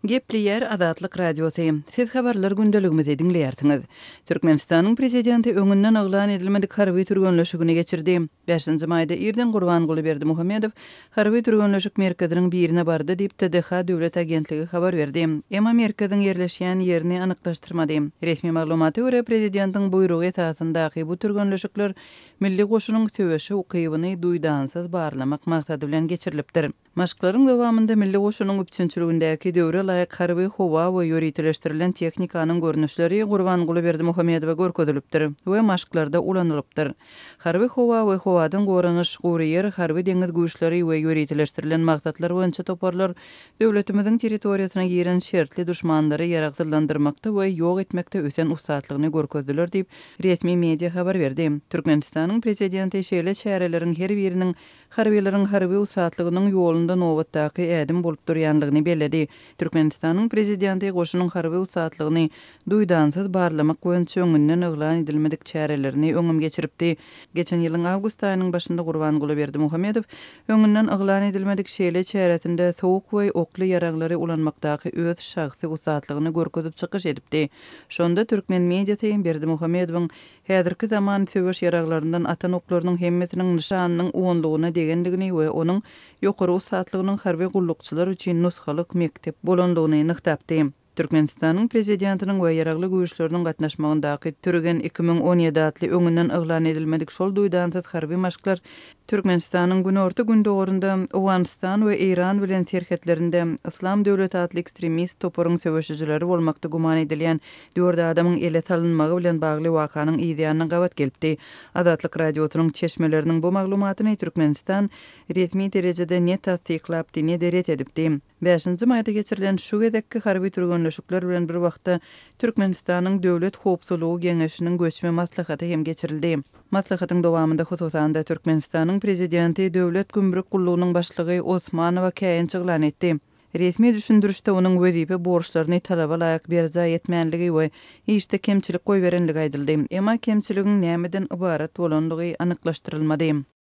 Gepleýär Azatlyk Radiosy. Siz habarlar gündeligimizi diňleýärsiňiz. Türkmenistanyň Prezidenti öňünden yglan edilmedik harby türgenleşigini geçirdi. Bäşinji maýda irden Gurbanguly Berdimuhamedow harby türgenleşik merkeziniň birine bardy diýip, TDH döwlet agentligi habar berdi. Emma merkeziň ýerleşýän ýerini anyklaşdyrmady. Resmi maglumata görä, prezidentiň buýrugy esasyndaky bu türgenleşikler milli goşunyň söweşe ukybyny duýdansyz barlamak maksady bilen geçirilipdir. Maşklaryň dowamynda Milli goşunyň üpjünçiligindäki döwre laýyk harby, howa we ýöriteleşdirilen tehnikanyň görnüşleri Gurbanguly Berdimuhamedowa görkezilipdir we maşklarda ulanylypdyr. Harby howa we howadan goranyş, gury ýer, harby-deňiz güýçleri we ýöriteleşdirilen maksatlar boýunça toparlar döwletimiziň territoriýasyna giren şertli duşmanlary ýaragsyzlandyrmakda we ýok etmekde ösen ussatlygyny görkezdiler diýip, resmi media habar berdi. Türkmenistanyň Prezidenti şeýle çäreleriň her biriniň harbylaryň harby ussatlygynyň ýolunda nobatdaky ädim bolup durýanlygyny belledi. Türkmenistanyň Prezidenti goşunyň harby ussatlygyny duýdansyz barlamak boýunça öňünden yglan edilmedik çärelerini öňem geçiripdi. Geçen ýylyň awgust aýynyň başynda Gurbanguly Berdimuhamedow öňünden yglan edilmedik şeýle çäresinde sowuk we okly ýaraglary ulanmakdaky öz şahsy ussatlygyny görkezip çykyş edipdi. Şonda türkmen mediasy Berdimuhamedowyň Häzirki zaman söweş ýaraglaryndan atan oklarynyň hemmesiniň nyşanynyň onlugyna degendigini we onuň ýokary ussatlygynyň harby gullukçylar üçin nusgalyk mekdep bolandygyny nygtapdy. Türkmenistanyň Prezidentiniň we Ýaragly Güýçleriniň gatnaşmagyndaky Türgen 2017 atly öňünden yglan edilmedik şol duýdansyz harby maşklar Türkmenistanyň günorta-gündogarynda, Owganystan we Eýran bilen serhetlerinde Yslam döwleti atly ekstremist toparyň söweşijileri bolmakda güman edilýän dört adamyň ele salynmagy bilen bagly wakanyň yzýanyna gabat gelipdi. Azatlyk Radiosynyň çeşmeleriniň bu maglumatyny Türkmenistan resmi derejede ne tassyklapdy, ne-de ret edipdi. Bäşinji maýda geçirilen şu gezekki harby türgenleşikler bilen bir wagtda Türkmenistanyň Döwlet howpsuzlygy geňeşiniň göçme maslahaty hem geçirildi. Maslahatyň dowamynda, hususan-da, Türkmenistanyň Prezidenti Döwlet gümrük gullugynyň başlygy Osmanowa käýinç yglan etdi. Resmi düşündirişde onuň wezipe borçlaryny talaba laýyk berjaý etmänligi we işde kemçilik goýberenligi aýdyldy. Emma kemçiligiň nämeden ybarat bolandygy anyklaşdyrylmady.